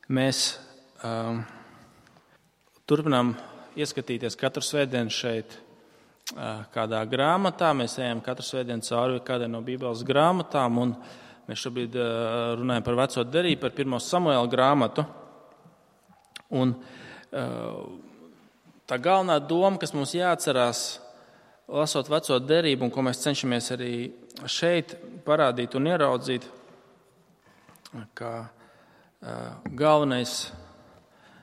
Mēs turpinām ieskatīties katru svētdienu šeit kādā grāmatā. Mēs ejam katru svētdienu cauri kādai no Bībeles grāmatām, un mēs šobrīd runājam par Veco derību, par 1. Samuēla grāmatu. Un tā galvenā doma, kas mums jāatcerās, lasot Veco derību, un ko mēs cenšamies arī šeit parādīt un ieraudzīt, ka galvenais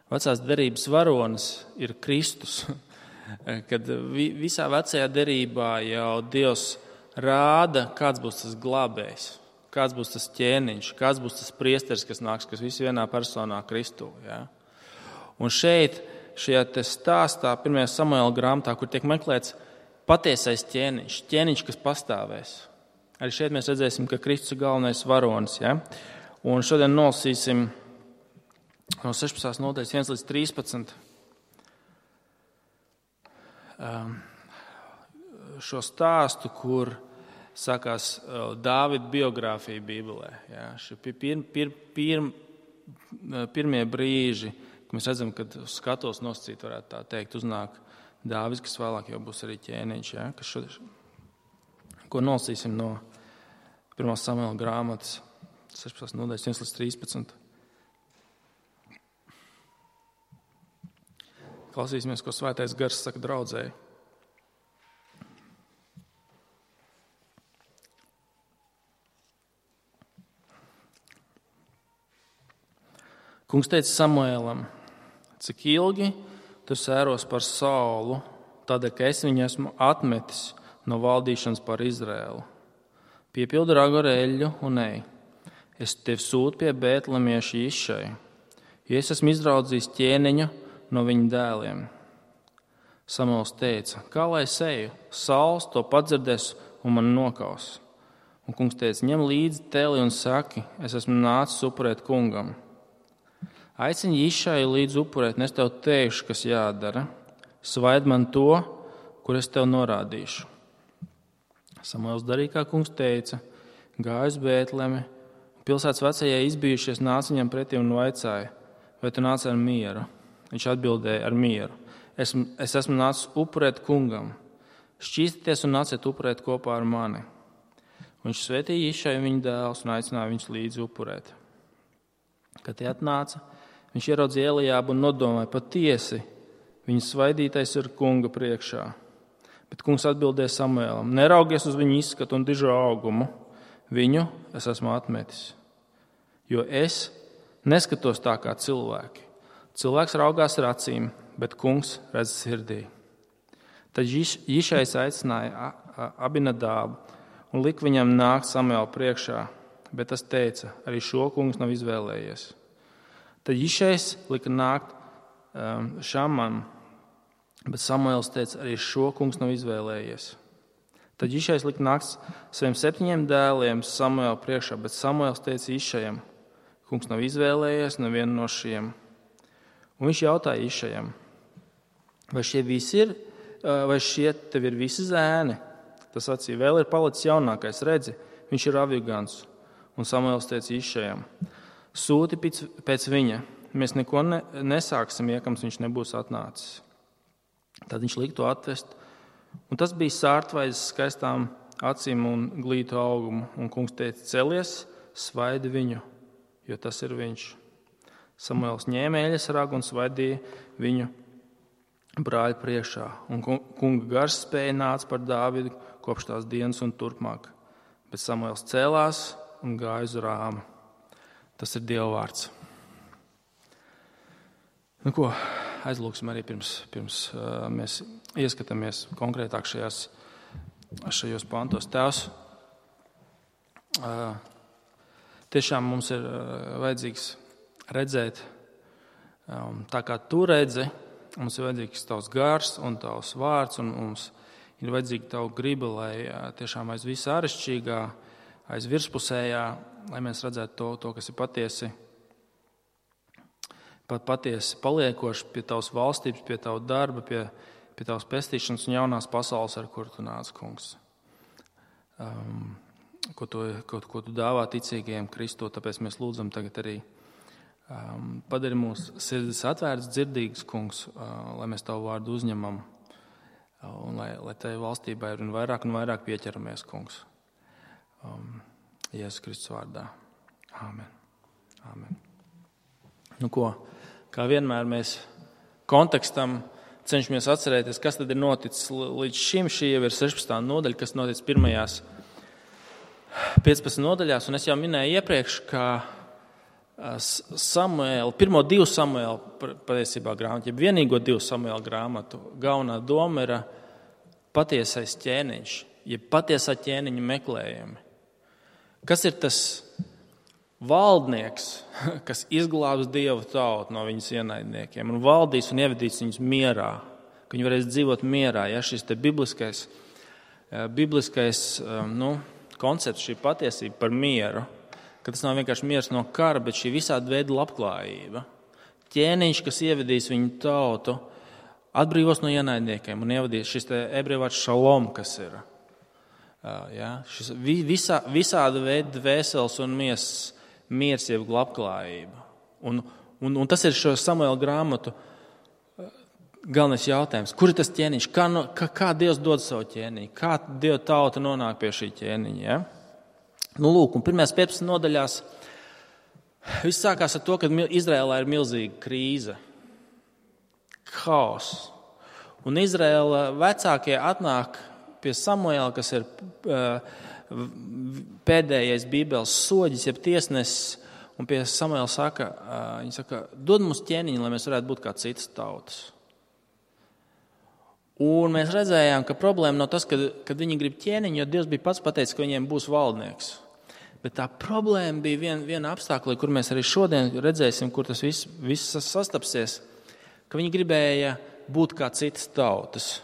Vecās derības varonis ir Kristus. Kad visā vecajā derībā jau Dievs rāda, kāds būs tas glābējs, kāds būs tas ķēniņš, kāds būs tas priesteris, kas nāks, kas viss vienā personā Kristū. Ja? Un šeit, šajā stāstā, 1. Samuēla grāmatā, kur tiek meklēts patiesais ķēniņš, kas pastāvēs. Arī šeit mēs redzēsim, ka Kristus ir galvenais varonis. Ja? Un šodien nolasīsim no 16. nodaļas 1 līdz 13. Šo stāstu, kur sākās Dāvida biogrāfija Bībelē. Ja? Šie pirmie brīži, kad mēs redzam, kad skatos nosacīt, varētu tā teikt, uznāk Dāvids, kas vēlāk jau būs arī ķēniņš. Ja? Ko nolasīsim no 1. Samuēla grāmatas 16. nodaļas 1 līdz 13. Klausīsimies, ko Svētais Gars saka draudzēji. Kungs teica Samuēlam: cik ilgi tu sēros par Saulu, tādēļ, ka es viņu esmu atmetis no valdīšanas par Izraēlu. Piepildi ragu ar eļļu un ej. Es tevi sūtu pie Bētlemieša Išai, jo es esmu izraudzījis ķēniņu no viņa dēliem. Samuēls teica: kā lai es eju? Sauls to padzirdēs un man nokaus. Un kungs teica: ņem līdzi teli un saki: es esmu nācis upurēt kungam. Aicini Išai līdz upurēt, un es tev teikšu, kas jādara. Svaid man to, kur es tev norādīšu. Samuēls darīja, kā kungs teica, gāja uz Bētlemi. Pilsētas vecajai izbijušies nāca viņam pretī un vaicāja: vai tu nāc ar mieru? Viņš atbildēja: ar mieru. Es esmu nācis upurēt kungam. Šķīstieties un nāciet upurēt kopā ar mani. Viņš svētīja Išai viņa dēlus un aicināja viņus līdzi upurēt. Kad tie atnāca, viņš ieraudzīja Eliābu un nodomāja: patiesi, viņa svaidītais ir kunga priekšā. Bet kungs atbildēja Samuēlam: neraugies uz viņu izskatu un dižo augumu. Viņu es esmu atmetis. Jo es neskatos tā kā cilvēki. Cilvēks raugās ar acīm, bet kungs redz sirdī. Tad Išais aicināja Abinadābu un lika viņam nākt Samuēla priekšā, bet tas teica: arī šo kungs nav izvēlējies. Tad Išais lika nākt Šamam, bet Samuēls teica: arī šo kungs nav izvēlējies. Tad Išais lika nākt saviem 7 dēliem Samuēla priekšā, bet Samuēls teica Išajam: kungs nav izvēlējies nevienu no šiem. Un viņš jautāja Išajam: vai šie visi ir, vai šie tev ir visi zēni? Tas sacīja: vēl ir palicis jaunākais, redzi, viņš ir avigants. Un Samuēls teica Išajam: sūti pēc viņa, mēs neko nesāksim, ja kamēr viņš nebūs atnācis. Tad viņš lika to atvest, un tas bija sārtvaizes skaistām acīm un glītu augumu. Un kungs teica: celies, svaidi viņu, jo tas ir viņš. Samuēls ņēma eļas ragu un svaidīja viņu brāļa priekšā. Un kunga gars spēja nāca par Dāvidu kopš tās dienas un turpmāk. Bet Samuēls cēlās un gāja uz Rāmu. Tas ir Dieva vārds. Nu ko, aizlūksim arī pirms mēs ieskatāmies konkrētāk šajos pantos. Tēvs, tiešām mums ir vajadzīgs redzēt, tā kā tu redzi, mums ir vajadzīgs tavs gars un tavs vārds, un mums ir vajadzīga tava griba, lai tiešām aiz visā āršķirīgā, aiz virspusējā, lai mēs redzētu to, kas ir patiesi paliekoši pie tavas valstības, pie tava darba, pie tavas pestīšanas un jaunās pasaules, ar kuru tu nāc, kungs. Ko tu dāvā ticīgajiem Kristu, tāpēc mēs lūdzam tagad arī Padari mūsu sirdis atvērts, dzirdīgs, kungs, lai mēs tavu vārdu uzņemam un lai tevi valstībai un vairāk pieķeramies, kungs. Jēzus Kristus vārdā. Āmen. Āmen. Nu ko, kā vienmēr mēs kontekstam cenšamies atcerēties, kas tad ir noticis līdz šim. Šī jau ir 16. nodaļa, kas noticis pirmajās 15 nodaļās, un es jau minēju iepriekš, ka pirmo 2 Samuēla patiesībā grāmatu, ja vienīgo 2 Samuēla grāmatu, galvenā doma ir patiesais ķēniņš, ja patiesā ķēniņa meklējumi. Kas ir tas valdnieks, kas izglābs Dievu tautu no viņas ienaidniekiem un valdīs un ievedīs viņus mierā, ka viņi varēs dzīvot mierā, ja šis te bibliskais koncepts, šī patiesība par mieru, ka tas nav vienkārši miers no kara, bet šī visāda veida labklājība. Ķēniņš, kas ievedīs viņu tautu, atbrīvos no ienaidniekiem un ievadīs šis te ebreju vārds šalom, kas ir. Šis visāda veida dvēseles un miers jeb labklājība. Un tas ir šo Samuēla grāmatu galvenais jautājums. Kur ir tas ķēniņš? Kā Dievs dod savu ķēniņu? Kā Dieva tauta nonāk pie šī ķēniņa? Ja? Nu, lūk, un pirmajās 15 nodaļās viss sākās ar to, ka Izrēlā ir milzīga krīze. Haoss. Un Izrēla vecākie atnāk pie Samuēla, kas ir pēdējais Bībeles soģis, jeb tiesnesis, un pie Samuēla viņi saka, dod mums ķēniņu, lai mēs varētu būt kā citas tautas. Un mēs redzējām, ka problēma nav tas, kad viņi grib ķēniņu, jo Dievs bija pats pateicis, ka viņiem būs valdnieks. Bet tā problēma bija viena apstākļa, kur mēs arī šodien redzēsim, kur tas viss sastapsies, ka viņi gribēja būt kā citas tautas.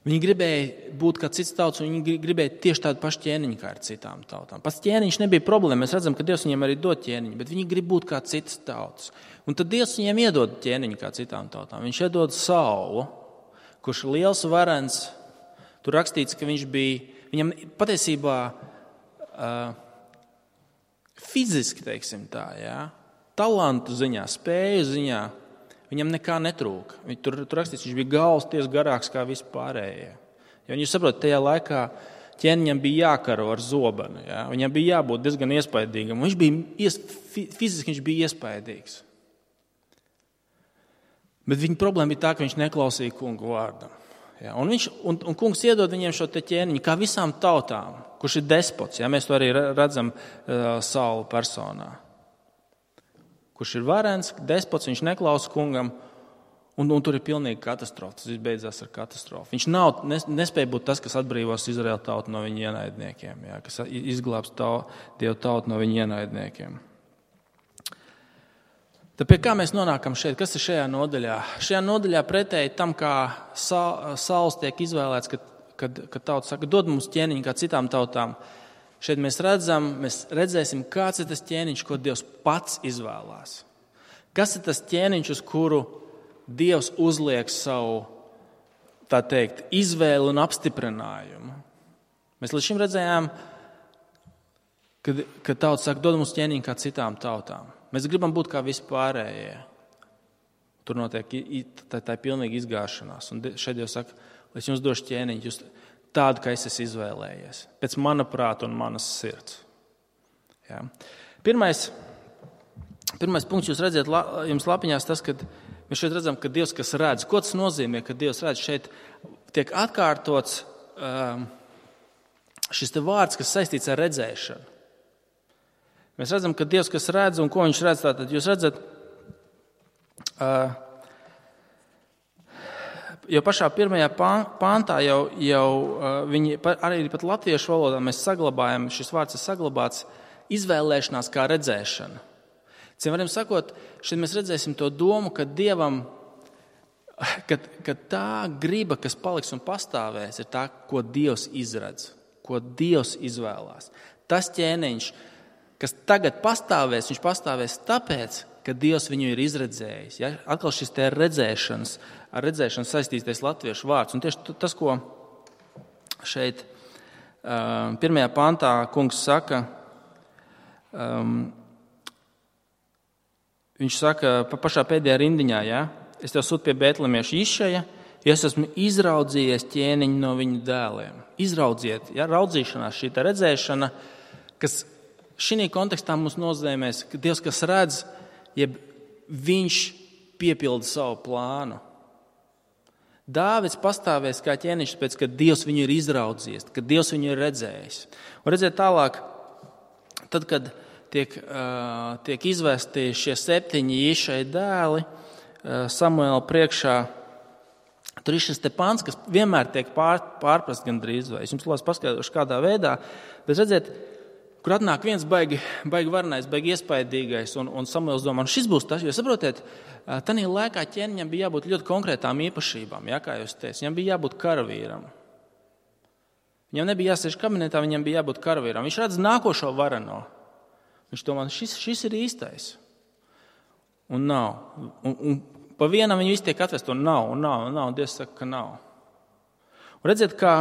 Viņi gribēja būt kā citas tautas, un viņi gribēja tieši tādu pašu ķēniņu kā ar citām tautām. Pats ķēniņš nebija problēma, mēs redzam, ka Dievs viņiem arī dod ķēniņu, bet viņi grib būt kā citas tautas. Un tad Dievs viņiem iedod ķēniņu kā citām tautām. Viņš iedod Saulu, kurš ir liels varens. Tur rakstīts, ka viņam patiesībā fiziski, teiksim tā, talantu ziņā, spēju ziņā, viņam nekā netrūka. Tur rakstīts, viņš bija galvas tiesa garāks kā vispārējie. Jo jūs saprotat, tajā laikā ķēniņam bija jākaro ar zobenu. Ja? Viņam bija jābūt diezgan iespaidīgam. Fiziski viņš bija iespaidīgs. Bet viņa problēma bija tā, ka viņš neklausīja kungu vārdam. Ja? Un kungs iedod viņiem šo te ķēniņu kā visām tautām, kurš ir despots. Ja? Mēs to arī redzam Saula personā. Kurš ir varens, despots, viņš neklausa kungam, un tur ir pilnīga katastrofa. Tas viss beidzās ar katastrofu. Viņš nespēja būt tas, kas atbrīvos Izraēlu tautu no viņa ienaidniekiem, ja? Kas izglābs Dievu tautu no viņa ienaidniekiem. Tad pie kā mēs nonākam šeit? Kas ir šajā nodaļā? Šajā nodaļā pretēji tam, kā Sauls tiek izvēlēts, kad tauta saka, dod mums ķēniņu kā citām tautām. Šeit mēs redzēsim, kāds ir tas ķēniņš, ko Dievs pats izvēlās. Kas ir tas ķēniņš, uz kuru Dievs uzliek savu, tā teikt, izvēli un apstiprinājumu? Mēs līdz šim redzējām, kad tauta saka, dod mums ķēniņu kā citām tautām. Mēs gribam būt kā vispārējie. Tur notiek tā pilnīga izgāšanās. Un šeit Dievs saka, lai es jums došu ķēniņu, jūs tādu, kā es esmu izvēlējies. Pēc mana prāta un manas sirds. Ja. Pirmais punkts jūs redzat jums lapiņās tas, ka mēs šeit redzam, ka Dievs, kas redz. Ko tas nozīmē, ka Dievs redz? Šeit tiek atkārtots šis te vārds, kas saistīts ar redzēšanu. Mēs redzam, ka Dievs, kas redz, un ko viņš redz, tātad jūs redzat, jo pašā pirmajā pāntā jau viņi, arī pat latviešu valodā mēs saglabājam, šis vārds ir saglabāts, izvēlēšanās kā redzēšana. Ciem varam sakot, šeit mēs redzēsim to domu, ka Dievam, ka tā griba, kas paliks un pastāvēs, ir tā, ko Dievs izredz, ko Dievs izvēlās. Tas ķēniņš, kas tagad pastāvēs, viņš pastāvēs tāpēc, ka Dievs viņu ir izredzējis. Ja? Atkal šis te ar redzēšanu saistītais latviešu vārds. Un tieši tas, ko šeit pirmajā pantā kungs saka, viņš saka pašā pēdējā rindiņā, ja? Es tev sūtu pie Bētlemieša Išaja, jo es esmu izraudzījies ķēniņu no viņa dēliem. Izraudziet, ja? Raudzīšanās, šī tā redzēšana, kas šī kontekstā mums nozīmēs, ka Dievs, kas redz, jeb viņš piepilda savu plānu. Dāvids pastāvēs kā ķēniņš, pēc, kad Dievs viņu ir izraudzījis, kad Dievs viņu ir redzējis. Un redzēt tālāk, tad, kad tiek izvesti šie 7 Išai dēli Samuēla priekšā, tur ir šis te pants, kas vienmēr tiek pārprast gandrīz vai. Es jums lūdzu paskaidrošu kādā veidā, bet redzēt, kur atnāk viens baigi varenais, baigi iespaidīgais, un Samuēls domā, šis būs tas, jo saprotiet, tanī laikā ķēniņam bija jābūt ļoti konkrētām īpašībām, ja, kā jūs teicat, viņam bija jābūt karavīram. Viņam nebija jāsēž kabinetā, viņam bija jābūt karavīram. Viņš redz nākošo vareno. Viņš domā, šis ir īstais. Un nav. Un pa vienam viņi visi tiek atvest, un nav. Dievs saka, ka nav. Un redziet, kā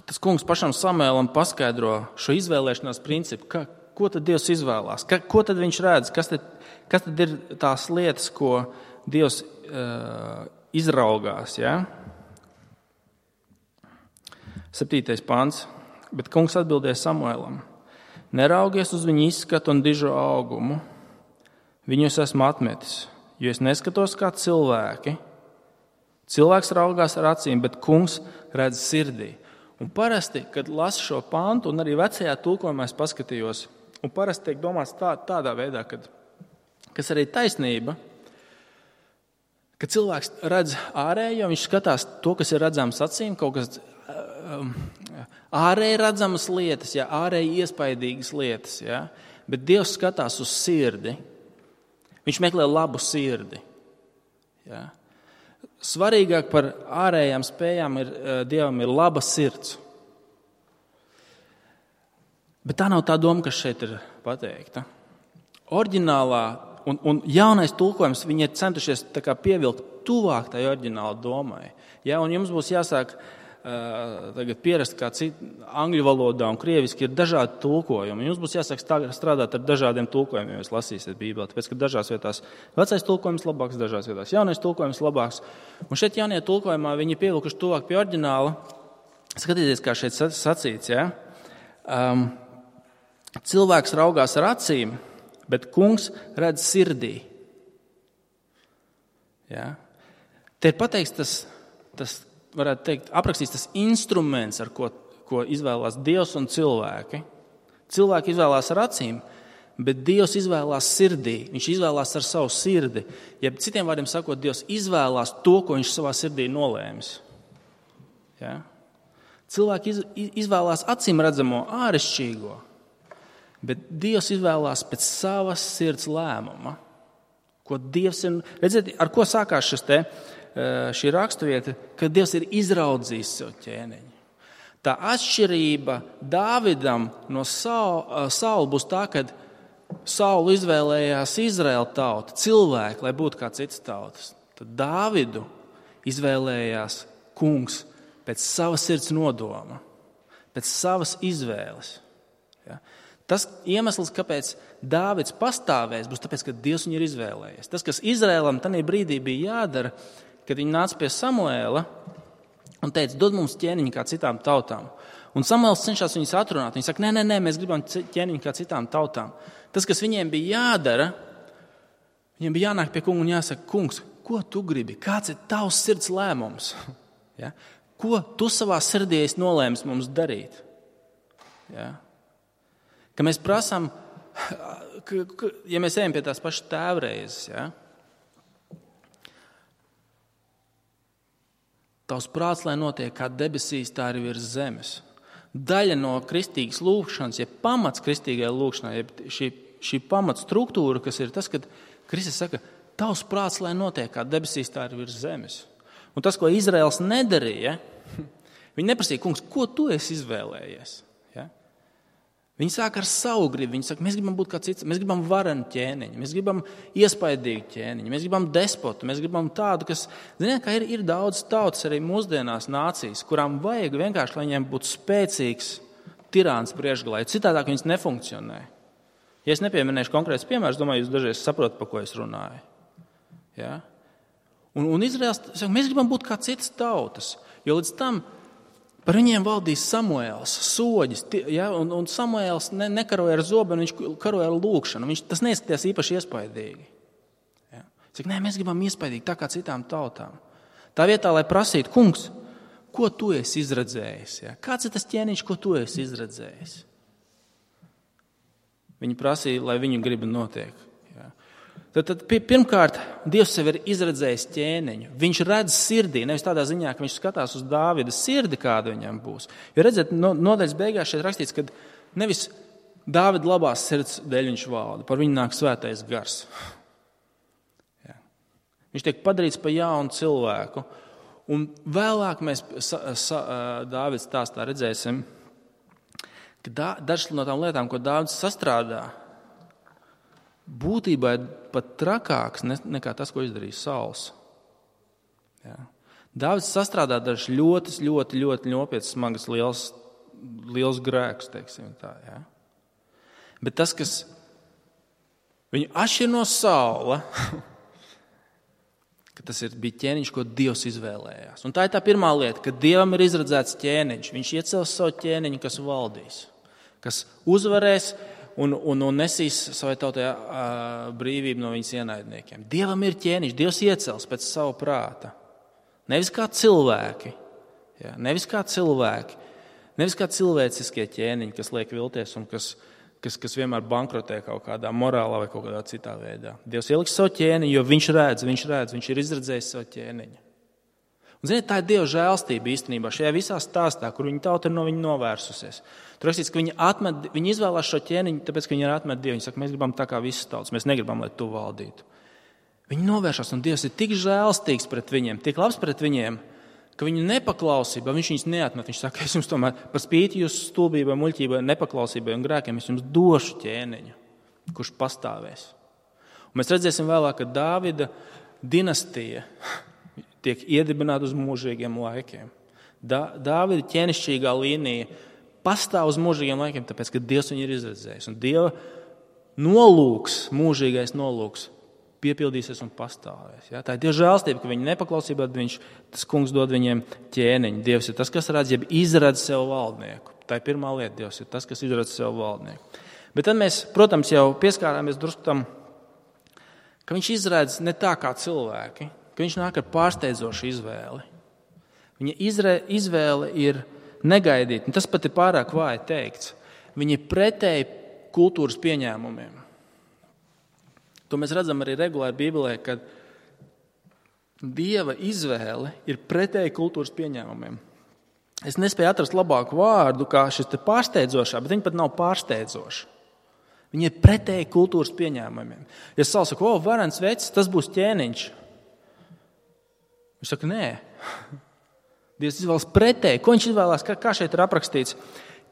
tas kungs pašam Samuēlam paskaidro šo izvēlēšanās principu, ko tad Dievs izvēlās, ko tad viņš redz, kas tad ir tās lietas, ko Dievs izraugās. Ja? 7. pants. Bet kungs atbildēja Samuēlam: neraugies uz viņu izskatu un dižo augumu. Viņus esmu atmetis, jo es neskatos kā cilvēki. Cilvēks raugās ar acīm, bet kungs redz sirdī. Un parasti, kad lasu šo pantu, un arī vecajā tulkojumā es paskatījos, un parasti tiek domāts tādā veidā, kas arī taisnība, ka cilvēks redz ārējo, viņš skatās to, kas ir redzams acīm, kaut kas ārēji redzamas lietas, ja, ārēji iespaidīgas lietas, ja, bet Dievs skatās uz sirdi. Viņš meklē labu sirdi. Ja. Svarīgāk par ārējām spējām Dievam ir laba sirds. Bet tā nav tā doma, kas šeit ir pateikta. Oriģinālā un jaunais tulkojums, viņi ir centušies tā kā pievilkt tuvāk tai oriģināla domai. Ja, un jums būs jāsāk tagad pierast, kā angļu valodā un krieviski ir dažādi tulkojumi. Jums būs jāsāk strādāt ar dažādiem tulkojumiem, ja jūs lasīsiet Bībeli. Tāpēc, ka dažās vietās vecais tulkojums labāks, dažās vietās jaunais tulkojums labāks. Un šeit jaunie tulkojumā viņi pievilkuši tuvāk pie oriģināla. Skatieties, kā šeit sacīts. Ja? Cilvēks raugās ar acīm, bet kungs redz sirdī. Ja? Te ir pateikts tas varētu teikt, aprakstīts tas instruments, ar ko izvēlās Dievs un cilvēki. Cilvēki izvēlās ar acīm, bet Dievs izvēlās sirdī. Viņš izvēlās ar savu sirdi. Ja citiem vārdiem sakot, Dievs izvēlās to, ko viņš savā sirdī nolēmis. Ja? Cilvēki izvēlās acīm redzamo āršķirīgo, bet Dievs izvēlās pēc savas sirds lēmuma. Ko Dievs ir, redziet, ar ko sākās šī raksturvieta, ka Dievs ir izraudzījis sev ķēniņu. Tā atšķirība Dāvidam no Saula būs tā, ka Saulu izvēlējās Izraēla tauta, cilvēki, lai būtu kā citas tautas. Tad Dāvidu izvēlējās kungs pēc savas sirds nodoma, pēc savas izvēles. Ja? Tas iemesls, kāpēc Dāvids pastāvēs, būs tāpēc, ka Dievs viņu ir izvēlējies. Tas, kas Izraēlam tajā brīdī bija jādara, kad viņi nāca pie Samuēla un teica, dod mums ķēniņu kā citām tautām. Un Samuēls cenšas viņus atrunāt. Viņi saka, nē, mēs gribam ķēniņu kā citām tautām. Tas, kas viņiem bija jādara, viņiem bija jānāk pie kunga un jāsaka, kungs, ko tu gribi? Kāds ir tavs sirds lēmums? Ja? Ko tu savā sirdī esi nolēmis mums darīt? Ja? Ka mēs prasām, ja mēs ejam pie tās pašas tēvreizes, ja? Tavs prāts, lai notiek kā debesīs, tā arī virs zemes. Daļa no kristīgas lūgšanas, ja pamats kristīgai lūgšanai, ja šī pamats struktūra, kas ir tas, kad Kristus saka, tavs prāts, lai notiek kā debesīs, tā arī virs zemes. Un tas, ko Izraels nedarīja, viņi neprasīja, kungs, ko tu esi izvēlējies? Ja? Viņi sāk ar savu gribu. Viņi saka, mēs gribam būt kā cits, mēs gribam varenu ķēniņu, mēs gribam iespaidīgu ķēniņu, mēs gribam despotu, mēs gribam tādu, kas, ziniet, ka ir daudz tautas arī mūsdienās nācijas, kurām vajag vienkārši, lai viņiem būtu spēcīgs tirāns priekšgalā, jo citādāk viņas nefunkcionē. Ja es nepieminēšu konkrēts piemērs, domāju, jūs dažreiz saprotat, par ko es runāju. Ja? Un Izraels, mēs gribam būt kā citas tautas, jo līdz tam par viņiem valdīs Samuēls, soģis, ja? Un Samuēls nekaroja ar zobenu, viņš karoja ar lūkšanu. Tas neizskatījās īpaši iespaidīgi. Ja? Nē, mēs gribam iespaidīgi tā kā citām tautām. Tā vietā, lai prasītu, kungs, ko tu esi izredzējis? Ja? Kāds ir tas ķēniņš, ko tu esi izredzējis? Viņi prasīja, lai viņu griba notiek. Ja? Tad pirmkārt, Dievs sev ir izredzējis ķēniņu. Viņš redz sirdī, nevis tādā ziņā, ka viņš skatās uz Dāvida sirdi, kāda viņam būs. Jo redzat, nodaļas beigās šeit rakstīts, ka nevis Dāvida labās sirds dēļ viņš valda, par viņu nāk svētais gars. Ja? Viņš tiek padarīts par jaunu cilvēku. Un vēlāk mēs Dāvids stāstā redzēsim, ka dažas no tām lietām, ko Dāvids sastrādā, būtībā ir pat trakāks nekā tas, ko izdarīja Sauls. Ja. Dāvids sastrādā dažas ļoti nopietnas, smagas, liels grēkus, teiksim tā. Ja. Bet tas, kas viņu atšķir no Saula, ka tas bija ķēniņš, ko Dievs izvēlējās. Un tā ir tā pirmā lieta, ka Dievam ir izredzēts ķēniņš. Viņš iecels savu ķēniņu, kas valdīs, kas uzvarēs un nesīs savai tautai brīvību no viņas ienaidniekiem. Dievam ir ķēniņš, Dievs iecels pēc savu prāta. Nevis kā cilvēki, ja? Nevis kā cilvēciskie ķēniņi, kas liek vilties un kas vienmēr bankrotē kaut kādā morālā vai kaut kādā citā veidā. Dievs ieliks savu ķēniņu, jo viņš ir izredzējis savu ķēniņu. Un, ziniet, tā ir Dieva žēlstība īstenībā šajā visā stāstā, kur viņa tauta ir no viņa novērsusies. Tur rakstīts, ka viņi izvēlās šo ķēniņu, tāpēc, ka viņi ir atmet Dievu. Viņi saka, mēs gribam tā kā visas tautas, mēs negribam, lai tu valdītu. Viņi novēršas, un Dievs ir tik žēlstīgs pret viņiem, tik labs pret viņiem, ka viņu nepaklausība, viņš viņus neatmet. Viņš saka, es jums tomēr par spīti jūsu stulbībai, muļķībai, nepaklausībai un grēkiem, es jums došu ķēniņu, kurš pastāvēs. Un mēs redzēsim vēlāk, ka Dāvida dinastija tiek iedibināta uz mūžīgiem laikiem. Dāvida ķēnišķīgā līnija pastāv uz mūžīgiem laikiem, tāpēc, ka Dievs viņu ir izredzējis. Un Dieva nolūks, mūžīgais nolūks, piepildīsies un pastāvēs. Ja? Tā ir Dieva žēlstība, ka viņi nepaklausībā, tas kungs dod viņiem ķēniņu. Dievs ir tas, kas izredz sev valdnieku. Tā ir pirmā lieta, Dievs ir tas, kas izredz sev valdnieku. Bet tad mēs, protams, jau pieskārāmies drusku tam, ka viņš izredz ne tā kā cilvēki, ka viņš nāk ar pārsteidzošu izvēli. Viņa izvēle ir negaidīt, un tas pat ir pārāk vāji teikts. Viņa ir pretēji kultūras pieņēmumiem. To mēs redzam arī regulāri Bībelē, kad Dieva izvēle ir pretēji kultūras pieņēmumiem. Es nespēju atrast labāku vārdu, kā šis te pārsteidzošā, bet viņa pat nav pārsteidzoša. Viņa ir pretēji kultūras pieņēmumiem. Ja Sauls saka, varens vecs, tas būs ķēniņš. Viņš saka, nē. Dievs izvēlas pretēji. Ko viņš izvēlās? Kā šeit ir aprakstīts?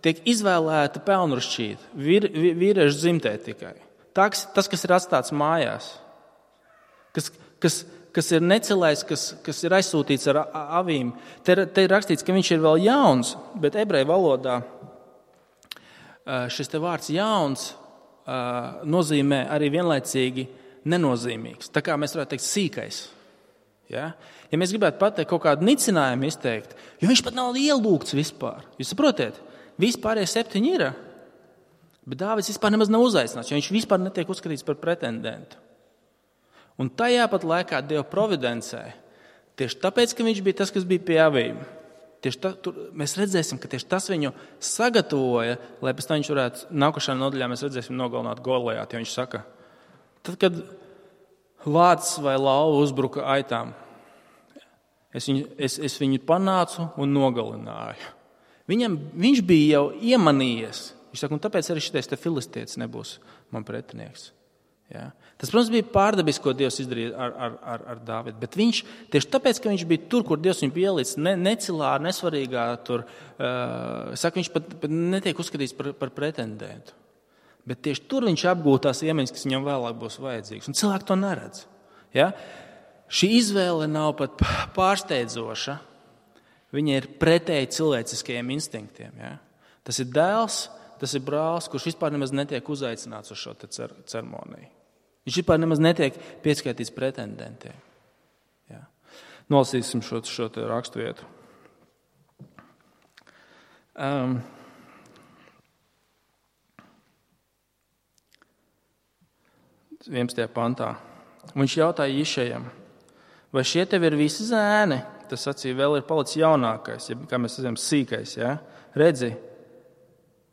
Tiek izvēlēta pelnrušķīta, vīriešu dzimtē tikai. Tas, kas ir atstāts mājās, kas ir necelējis, kas ir aizsūtīts ar avīm. Te ir rakstīts, ka viņš ir vēl jauns, bet ebreju valodā šis te vārds jauns nozīmē arī vienlaicīgi nenozīmīgs. Tā kā mēs varētu teikt sīkais. Ja mēs gribētu pateikt kaut kādu nicinājumu izteikt, jo viņš pat nav ielūgts vispār. Jūs saprotiet? Vispārējie 7 ir. Bet Dāvids vispār nemaz nav uzaicināts, jo viņš vispār netiek uzskatīts par pretendentu. Un tajā pat laikā Dieva providencē, tieši tāpēc, ka viņš bija tas, kas bija pie avīm, mēs redzēsim, ka tieši tas viņu sagatavoja, lai pēc tam viņš varētu, nākošajā nodaļā mēs redzēsim nogalināt Goliātu, jo viņš saka, tad, kad lācis vai lauva uzbruka aitām, es viņu panācu un nogalināju. Viņš bija jau iemanījies. Viņš saka, un tāpēc arī šitais te filistietis nebūs man pretinieks. Ja? Tas, protams, bija pārdabiski, ko Dievs izdarīja ar Dāvidu. Bet viņš, tieši tāpēc, ka viņš bija tur, kur Dievs viņu bija ielicis, necilā, nesvarīgā, saka, viņš pat netiek uzskatīts par pretendentu. Bet tieši tur viņš apgūst tās iemaņas, kas viņam vēlāk būs vajadzīgas. Un cilvēki to neredz. Ja? Šī izvēle nav pat pārsteidzoša. Viņa ir pretēji cilvēciskajiem instinktiem. Ja? Tas ir dēls tas ir brālis, kurš vispār nemaz netiek uzaicināts uz šo ceremoniju. Viņš vispār nemaz netiek pieskaitīts pretendentiem. Jā. Nolasīsim šo raksturvietu. 11. pantā. Viņš jautāja Išejam, vai šie tev ir visi zēni? Tas sacīja, vēl ir palicis jaunākais, ja, kā mēs zinām, sīkais. Ja? Redzi,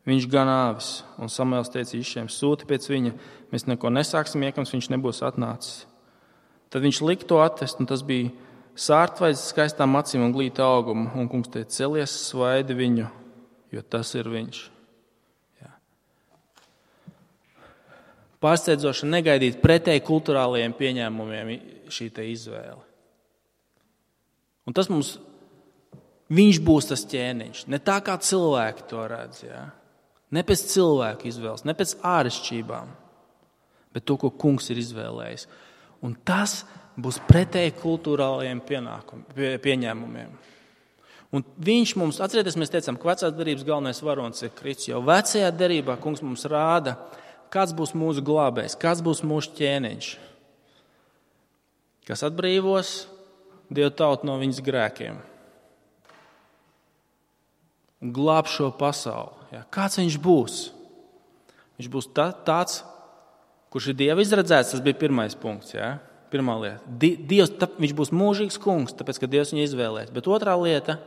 viņš gan āvis. Un Samuēls teica Išejam, sūti pēc viņa, mēs neko nesāksim, iekams viņš nebūs atnācis. Tad viņš lika to atvest, un tas bija sārtvaids skaistām acīm un glīta augumu. Un kungs teica, celies, svaidi viņu, jo tas ir viņš. Pārsteidzoši negaidīt pretēji kulturālajiem pieņēmumiem šī te izvēle. Un tas mums, viņš būs tas ķēniņš. Ne tā kā cilvēki to redz, ja? Ne pēc cilvēku izvēles, ne pēc āršķībām, bet to, ko kungs ir izvēlējis. Un tas būs pretēji kulturālajiem pieņēmumiem. Un viņš mums, atcerieties, mēs teicām, ka vecās derības galvenais varonis ir Kristus, jo vecajā derībā kungs mums rāda, kāds būs mūsu glābējs, kāds būs mūsu ķēniņš, kas atbrīvos Dievu tautu no viņas grēkiem un glāb šo pasauli. Ja? Kāds viņš būs? Viņš būs tāds, kurš ir Dieva izredzēts, tas bija pirmais punkts. Ja? Pirmā lieta. Dievs, viņš būs mūžīgs kungs, tāpēc, ka Dievs viņu izvēlēs. Bet otrā lieta,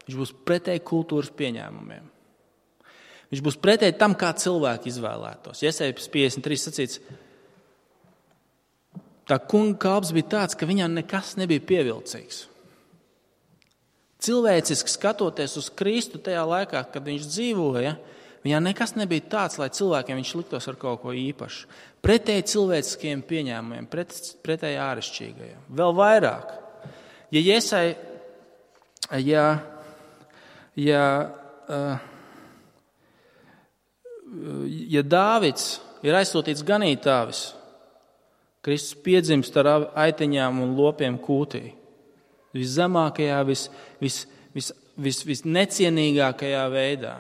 viņš būs pretēji kultūras pieņēmumiem. Viņš būs pretēji tam, kā cilvēki izvēlētos. Jesajas 53 sacīts, tā kunga kalps bija tāds, ka viņam nekas nebija pievilcīgs. Cilvēciski skatoties uz Kristu tajā laikā, kad viņš dzīvoja, viņam nekas nebija tāds, lai cilvēkiem viņš liktos ar kaut ko īpašu. Pretēji cilvēciskiem pieņēmumiem, pretēji āršķirīgajiem. Vēl vairāk. Ja Dāvids ir aizsūtīts ganītāvis, Kristus piedzimst ar aiteņām un lopiem kūtī. Viszemākajā, visnecienīgākajā veidā.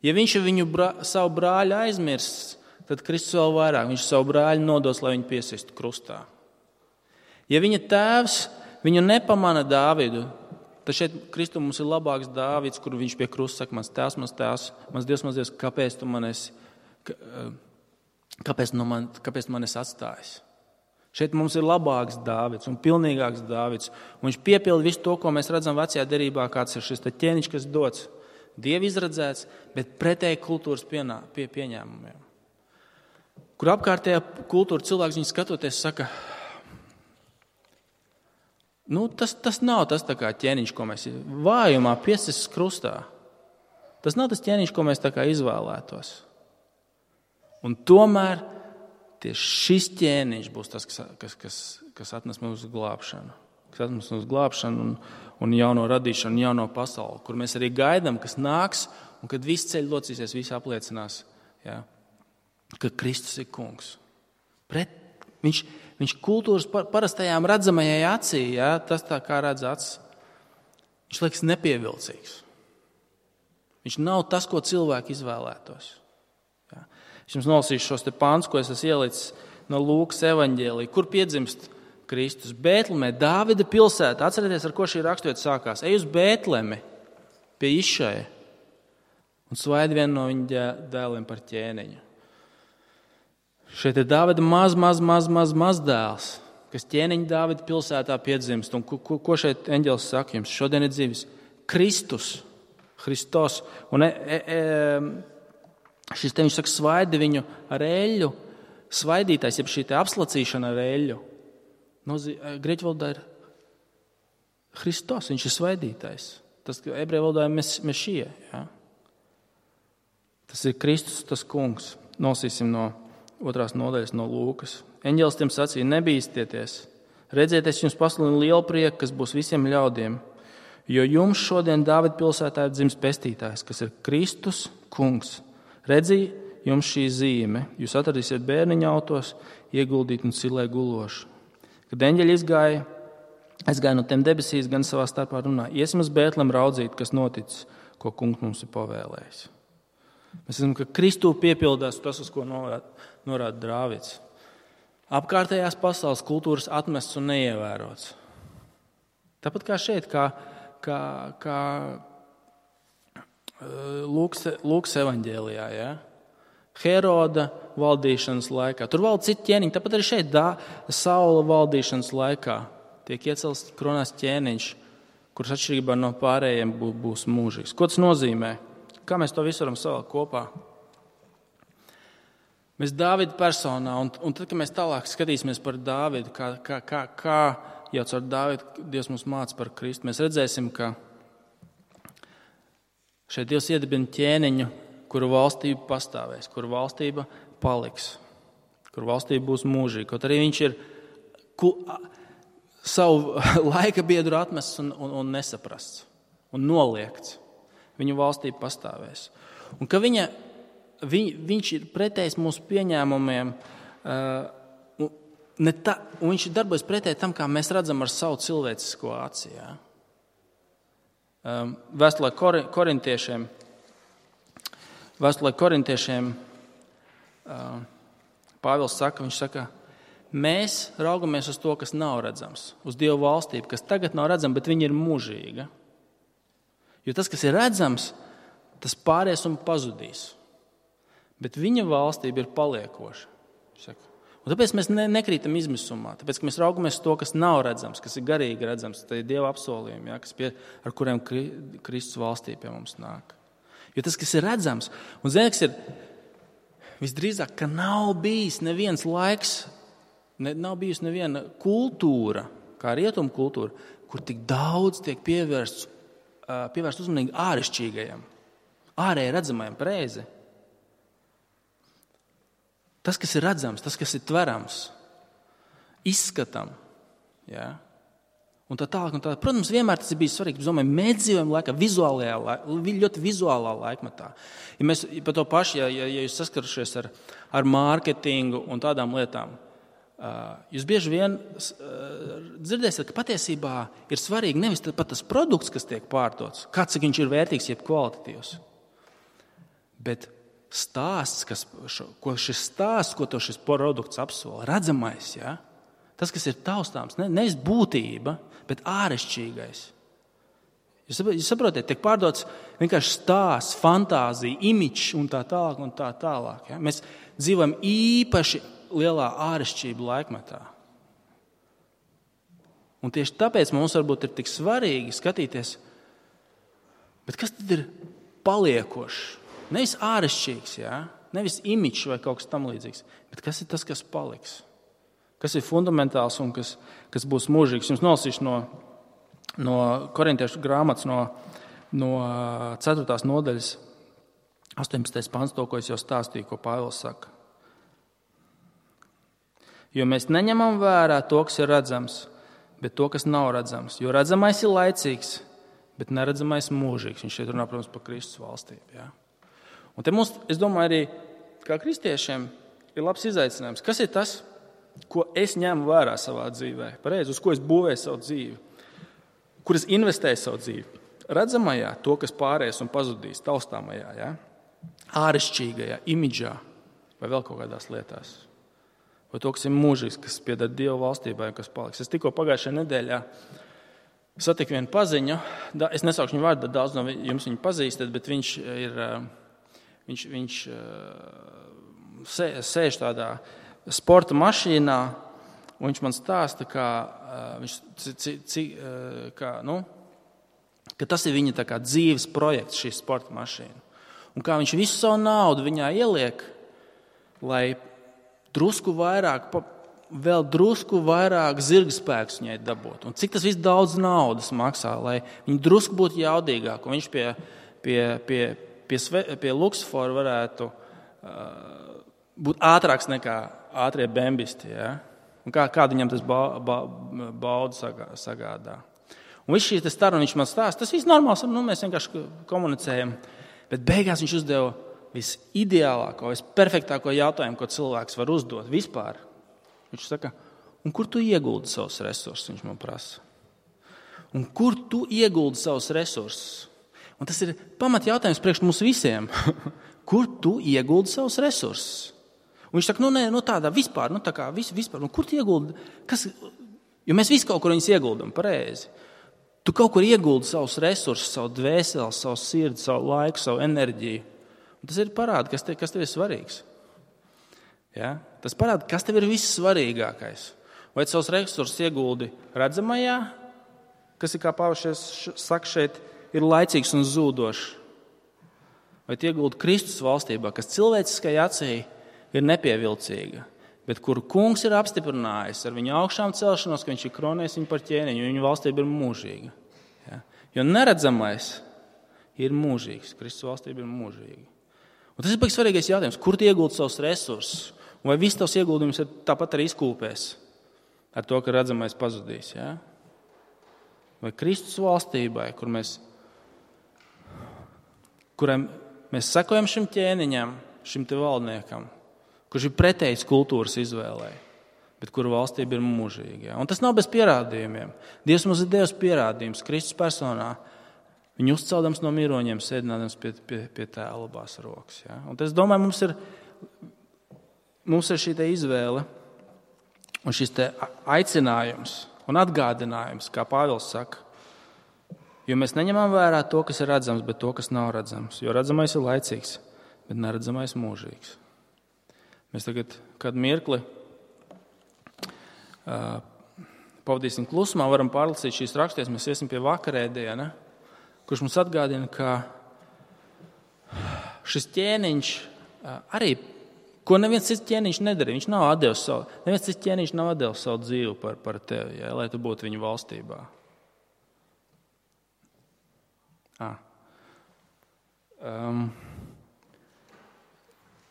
Ja viņš viņu savu brāļu aizmirst, tad Kristus vēl vairāk. Viņš savu brāļu nodos, lai viņu piesistu krustā. Ja viņa tēvs viņu nepamana Dāvidu, tad šeit Kristu mums ir labāks Dāvids, kur viņš pie krusta saka, mans tēvs, mans Dievs, kāpēc tu man esi atstājis? Šeit mums ir labāks Dāvids un pilnīgāks Dāvids. Un viņš piepilda visu to, ko mēs redzam vecajā derībā, kāds ir šis ķēniņš, kas dots Dieva izredzēts, bet pretēji kultūras pieņēmumiem. Kur apkārtējā kultūra cilvēks viņu skatoties saka, tas nav tas tā kā ķēniņš, ko mēs vājumā piesistas krustā. Tas nav tas ķēniņš, ko mēs tā kā izvēlētos. Un tomēr tieši šis ķēniņš būs tas, kas atnes mūsu glābšanu. Kas atnes mūsu glābšanu un jauno radīšanu, jauno pasauli, kur mēs arī gaidām, kas nāks, un kad viss ceļš locīsies, visi apliecinās, ja, ka Kristus ir kungs. Viņš kultūras parastajām redzamajai acī, ja, tas tā kā redz acis, viņš liekas nepievilcīgs. Viņš nav tas, ko cilvēki izvēlētos. Ja. Es jums nolasīšu šos te pāns, ko es esmu ielicis no Lūkas evaņģēlija, kur piedzimst Kristus. Bētlemē, Dāvida pilsēta. Atcerieties, ar ko šī raksturvieta sākās. Ej uz Bētlemi pie Išaja un svaidi vienu no viņa dēliem par ķēniņu. Šeit ir Dāvida maz dēls, kas ķēniņa Dāvida pilsētā piedzimst. Un ko šeit eņģelis saka jums? Šodien ir dzīvis Kristus. Un šis te viņš saka, svaidi viņu ar eļļu. Svaidītājs, jeb šī te apslacīšana ar eļļu. Grieķu valodā ir Hristos, viņš ir svaidītājs. Tas ebreju valodā ir mešija. Ja? Tas ir Kristus, tas kungs. Nosīsim no 2. nodaļas no Lūkas. Eņģelis tiem sacīja, nebīstieties. Redziet, es jums pasludinu lielu prieku, kas būs visiem ļaudiem. Jo jums šodien Dāvida pilsētā ir dzimis pestītājs, kas ir Kristus kungs. Redzi, jums šī zīme. Jūs atradīsiet bērniņa autos, ieguldīt un silē gulošu. Kad eņģeļi aizgāja no tiem debesīs, gan savā starpā runā, iesim uz Bētlem raudzīt, kas noticis, ko kungs mums ir pavēlējis. Mēs zinām, ka Kristū piepildās tas, uz ko norāda Dāvids. Apkārtējās pasaules kultūras atmests un neievērots. Tāpat kā šeit, kā Lūkas evaņģēlijā, ja? Heroda valdīšanas laikā. Tur valda citi ķēniņi, tāpat arī šeit Saula valdīšanas laikā tiek iecelts kronās ķēniņš, kurš atšķirībā no pārējiem būs mūžīgs. Ko tas nozīmē? Kā mēs to visu varam savēl kopā? Mēs Dāvida personā, un tad, kad mēs tālāk skatīsimies par Dāvidu, kā jau caur Dāvidu Dievs mums māca par Kristu, mēs redzēsim, ka šeit Dievs iedibina ķēniņu, kuru valstība pastāvēs, kuru valstība paliks, kuru valstība būs mūžīga. Kaut arī viņš ir savu laika biedru atmests un nesaprasts un noliegts. Viņa valstība pastāvēs. Un ka viņš ir pretējs mūsu pieņēmumiem, un viņš darbojas pretēji tam, kā mēs redzam ar savu cilvēcisko aci. Ja? Vēstulē korintiešiem Pāvils saka, viņš saka, mēs raugamies uz to, kas nav redzams, uz Dievu valstību, kas tagad nav redzama, bet viņa ir mūžīga. Jo tas, kas ir redzams, tas pāries un pazudīs. Bet viņa valstība ir paliekoša. Un tāpēc mēs nekrītam izmisumā, tāpēc, ka mēs raugamies uz to, kas nav redzams, kas ir garīgi redzams, tā ir Dieva apsolījumi, ja, ar kuriem Kristus valstība pie mums nāk. Jo tas, kas ir redzams, un ziniet, kas ir visdrīzāk, ka nav bijis neviens laiks, nav bijusi neviena kultūra, kā rietumu kultūra, kur tik daudz tiek pievērst uzmanīgi āršķirīgajam, ārēji redzamajam, pareizi. Tas, kas ir redzams, tas, kas ir tverams, izskatam, ja? Un tā tālāk. Protams, vienmēr tas ir bijis svarīgi. Es domāju, mēs dzīvojam laikā, ļoti vizuālā laikmetā. Ja mēs par to pašu, ja jūs saskarušies ar mārketingu un tādām lietām, jūs bieži vien dzirdēsiet, ka patiesībā ir svarīgi nevis pat tas produkts, kas tiek pārdots, kāds viņš ir vērtīgs, jeb kvalitatīvs, bet stāsts, ko šis produkts apsola, redzamais, ja? Tas, kas ir taustāms, nevis būtība, bet āršķirīgais. Jūs saprotiet, tiek pārdots vienkārši stāsts, fantāzija, imidžs un tā tālāk. Ja? Mēs dzīvojam īpaši lielā āršķirību laikmetā. Un tieši tāpēc mums varbūt ir tik svarīgi skatīties, bet kas tad ir paliekošs? Nevis āršķirīgs, ja? Nevis imidžs vai kaut kas tam līdzīgs, bet kas ir tas, kas paliks? Kas ir fundamentāls un kas būs mūžīgs. Jums nolasīšu no Korintiešu grāmatas, no 4. nodaļas, 18. pants, to, ko es jau stāstīju, ko Pāvils saka. Jo mēs neņemam vērā to, kas ir redzams, bet to, kas nav redzams. Jo redzamais ir laicīgs, bet neredzamais mūžīgs. Viņš šeit runā, protams, par Kristus valstību. Ja? Un te mums, es domāju, arī kā kristiešiem ir labs izaicinājums. Kas ir tas, ko es ņemu vērā savā dzīvē, pareizi, uz ko es būvēju savu dzīvi, kur es investēju savu dzīvi? Redzamajā, to, kas pāries un pazudīs, taustāmajā, ja? Āršķirīgajā, imidžā vai vēl kaut kādās lietās. Vai to, kas ir mūžīgs, kas pieder Dieva valstībai un kas paliks. Es tikko pagājušajā nedēļā satiku vienu paziņu, es nesaukšu viņu vārdu, daudz no jums viņu pazīstat, bet viņš sēž tādā sporta mašīnā, un viņš man stāsta, ka tas ir viņa tā kā dzīves projekts, šī sporta mašīna. Un kā viņš visu savu naudu viņā ieliek, lai vēl drusku vairāk zirgspēkus viņai dabūt. Un cik tas viss daudz naudas maksā, lai viņi drusku būtu jaudīgāk, un viņš pie Luksfora varētu būt ātrāks nekā ātrie bembisti, ja? Un kādu viņam tas baudu sagādā. Un viss šī staruna viņš man stāsta, tas viss normāls, mēs vienkārši komunicējam, bet beigās viņš uzdeva visideālāko, visperfektāko jautājumu, ko cilvēks var uzdot vispār. Viņš saka, un kur tu ieguldi savus resursus, viņš man prasa. Un kur tu ieguldi savus resursus? Un tas ir pamat jautājums priekš mums visiem. kur tu ieguldi savus resursus? Un viņš saka, tādā vispār, vispār, kur tu ieguldi? Jo mēs visi kaut kur viņus ieguldam, pareizi. Tu kaut kur ieguldi savus resursus, savu dvēseli, savu sirdi, savu laiku, savu enerģiju. Un tas ir parāda, kas tev ir svarīgs. Ja? Tas parāda, kas tev ir vissvarīgākais. Vai savus resursus ieguldi redzamajā, kas ir, kā Pāvils saka šeit, ir laicīgs un zūdošs. Vai ieguldi Kristus valstībā, kas cilvēciskai acī ir nepievilcīga, bet kuru kungs ir apstiprinājis ar viņa augšām celšanos, ka viņš ir kronējis viņu par ķēniņu, un viņa valstība ir mūžīga. Ja? Jo neredzamais ir mūžīgs, Kristus valstība ir mūžīga. Un tas ir baigi svarīgais jautājums, kur tu ieguldi savus resursus, un vai viss tavs ieguldījums ir tāpat arī izkūpēs ar to, ka redzamais pazudīs. Ja? Vai Kristus valstībai, kuram mēs sekojam šim ķēniņam, šim te valdniekam, kurš ir pretējs kultūras izvēlei, bet kuru valstība ir mūžīga. Ja? Un tas nav bez pierādījumiem. Dievs mums ir devis pierādījums Kristus personā. Viņu uzceldams no miroņiem, sēdinādams pie tēva labās rokas. Ja? Un tas, domāju, mums ir šī te izvēle un šis te aicinājums un atgādinājums, kā Pāvils saka. Jo mēs neņemam vērā to, kas ir redzams, bet to, kas nav redzams. Jo redzamais ir laicīgs, bet neredzamais mūžīgs. Mēs tagad kādu mirkli pavadīsim klusumā, varam pārlasīt šīs raksties, mēs iesim pie vakarēdiena, kurš mums atgādina, ka šis ķēniņš arī, ko neviens cits ķēniņš nedarīja, neviens cits ķēniņš nav atdevis savu dzīvi par tevi, ja, lai tu būtu viņu valstībā.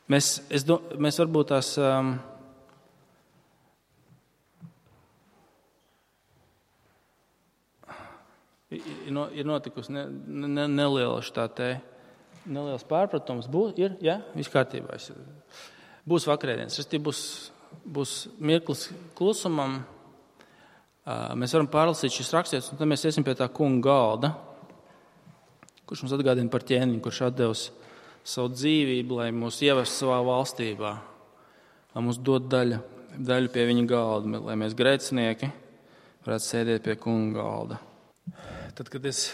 Mēs varbūt tās ir notikusi neliels pārpratums. Viss kārtībā. Būs vakarēdienas. Būs mirklis klusumam. Mēs varam pārlasīt šis rakstīts, un tad mēs iesim pie tā kunga galda, kurš mums atgādina par ķēniņu, kurš atdevis savu dzīvību, lai mūs ievestu savā valstībā, lai mums dod daļu pie viņa galda, lai mēs grēcinieki varētu sēdēt pie kunga galda. Tad, kad es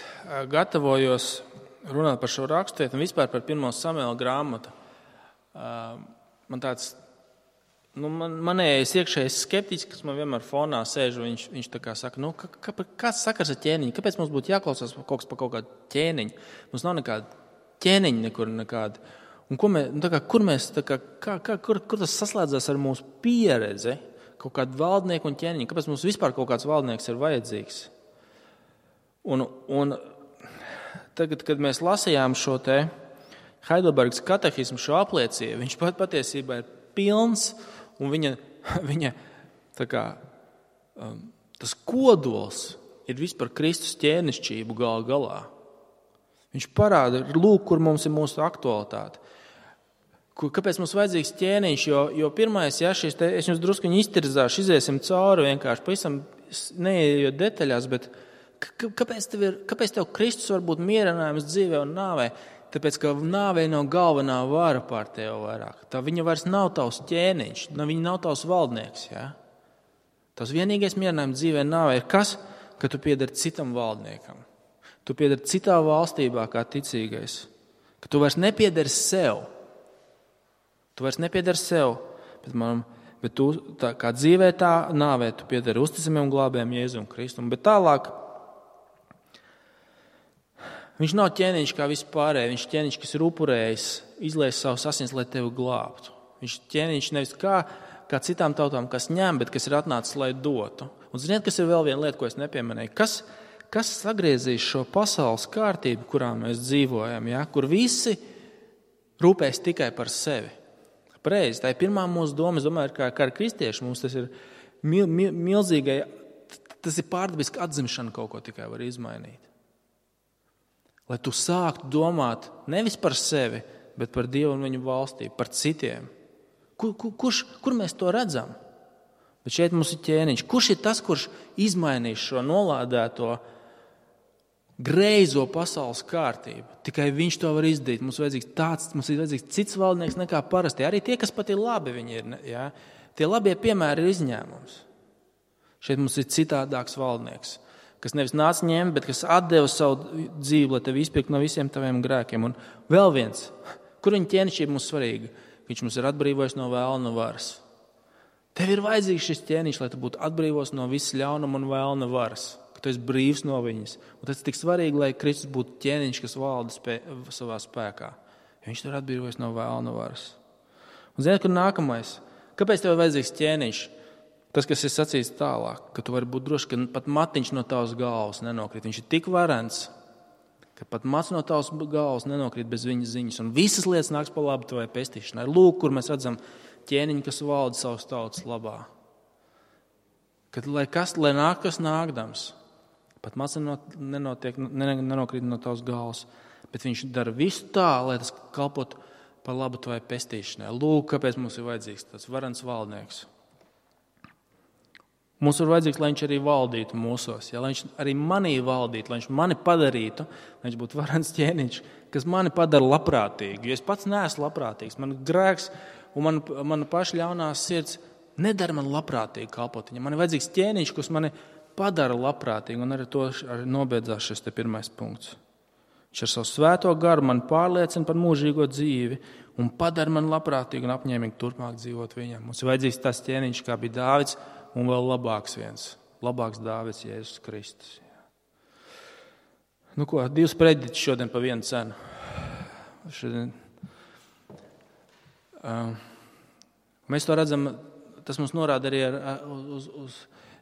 gatavojos runāt par šo rakstietu un vispār par 1. Samuela grāmatu, man tāds, manējais iekšējais skeptiķis, kas man vienmēr fonā sēž, viņš tā kā saka, kāds sakars ar ķēniņu? Kāpēc mums būtu jāklausās kaut kādu ķēniņu? Mums nav nekāda ķēniņa nekur nekāda. Un kur tas saslēdzās ar mūsu pieredzi? Kaut kādu valdnieku un ķēniņu? Kāpēc mums vispār kaut kāds valdnieks ir vajadzīgs? Un tagad, kad mēs lasījām šo te Heidelbergas katehismu, šo apliecību, viņš patiesībā ir pilns, un viņa tā kā, tas kodols ir vispār Kristus ķēnišķību galā. Viņš parāda, lūk, kur mums ir mūsu aktualitāte. Kāpēc mums vajadzīgs ķēniņš? Jo pirmais, es jums druskuņi iztirzāšu, iziesim cauri vienkārši, pavisam neejot detaļās, bet kāpēc tev Kristus var būt mierinājums dzīvē un nāvē? Tāpēc, ka nāvei nav galvenā vara pār tevi vairāk. Tā viņa vairs nav tavs ķēniņš, viņa nav tavs valdnieks. Ja? Tavs vienīgais mierinājums dzīvē nāvē ir kas? Ka tu piedari citam valdniekam. Tu piedari citā valstībā kā ticīgais. Ka tu vairs nepiedari sev. Bet tu tā, kā dzīvē tā nāvē, tu piedari uzticamiem un glābējiem Jēzum Kristum. Bet tālāk viņš nav ķēniņš kā vispārēji, viņš ķēniņš, kas ir upurējis, izlies savus asins, lai tevi glābtu. Viņš ķēniņš nevis kā citām tautām, kas ņem, bet kas ir atnācis, lai dotu. Un ziniet, kas ir vēl viena lieta, ko es nepieminēju? Kas sagriezīs šo pasaules kārtību, kurā mēs dzīvojam, ja? Kur visi rūpēs tikai par sevi? Pareizi, tā ir pirmā mūsu doma, es domāju, kā ar kristieši mums tas ir milzīgai, tas ir pārdabiski atzimšana kaut ko tikai var izmainīt. Lai tu sāktu domāt nevis par sevi, bet par Dievu un viņu valstību, par citiem. Kur mēs to redzam? Bet šeit mums ir ķēniņš. Kurš ir tas, kurš izmainīs šo nolādēto greizo pasaules kārtību. Tikai viņš to var izdarīt. Mums ir vajadzīgs cits valdnieks nekā parasti. Arī tie, kas pat ir labi, viņi ir. Ja? Tie labie piemēri ir izņēmums. Šeit mums ir citādāks valdnieks, kas nevis nāca ņemt, bet kas atdeva savu dzīvi, lai tevi izpirktu no visiem taviem grēkiem. Un vēl viens, kur viņa ķēnišķība mums svarīga? Viņš mums ir atbrīvojis no vēlna varas. Tev ir vajadzīgs šis ķēniņš, lai tu būtu atbrīvos no visas ļaunuma un vēlna varas. Ka tu esi brīvs no viņas. Un tas ir tik svarīgi, lai Kristus būtu ķēniņš, kas valda savā spēkā. Viņš tur atbrīvojas no vēlna varas. Un zini, kur nākamais? Kāpēc tev ir vajadzīgs ķēniņš? Tas, kas ir sacīts tālāk, ka tu vari būt droši, ka pat matiņš no tavas galvas nenokrīt. Viņš ir tik varens, ka pat mats no tavas galvas nenokrīt bez viņas ziņas. Un visas lietas nāks pa labu tavai pestīšanai. Lūk, kur mēs redzam ķēniņu, kas valda savas tautas labā. Kad, lai nāk, kas nākdams, pat mats nenokrīt no tavas galvas, bet viņš dara visu tā, lai tas kalpot par labu tavai pestīšanai. Lūk, kāpēc mums ir vajadzīgs tāds varens valdnieks. Mums ir vajadzīgs, lai viņš arī valdītu mūsos, ja? Lai viņš arī manī valdītu, lai viņš mani padarītu, lai viņš būtu varens ķēniņš, kas mani padara labprātīgu. Jo es pats neesmu labprātīgs, man grēks un mana paša ļaunās sirds nedara man labprātīgi kalpot viņam. Man ir vajadzīgs ķēniņš, kas mani padara labprātīgi, un ar to nobeidzās šis te pirmais punkts. Viņš ar savu svēto garu man pārliecina par mūžīgo dzīvi un padara man labprātīgi un apņēmīgi turpmāk dzīvot viņam. Mums ir vajadzīgs tas ķēniņš, kā bija Dāvids, un vēl labāks Dāvids, Jēzus Kristus. Nu ko, 2 prediķi šodien pa vienu cenu. Mēs to redzam, tas mums norāda arī uz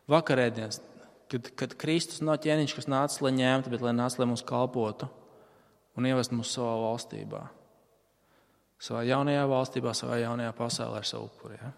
vakarēdienas, kad Kristus nav ķēniņš, kas nāca, lai ņemtu, bet lai nāca, lai mums kalpotu un ievest mūs savā valstībā. Savā jaunajā valstībā, savā jaunajā pasaulē ar savu upuri. Ja?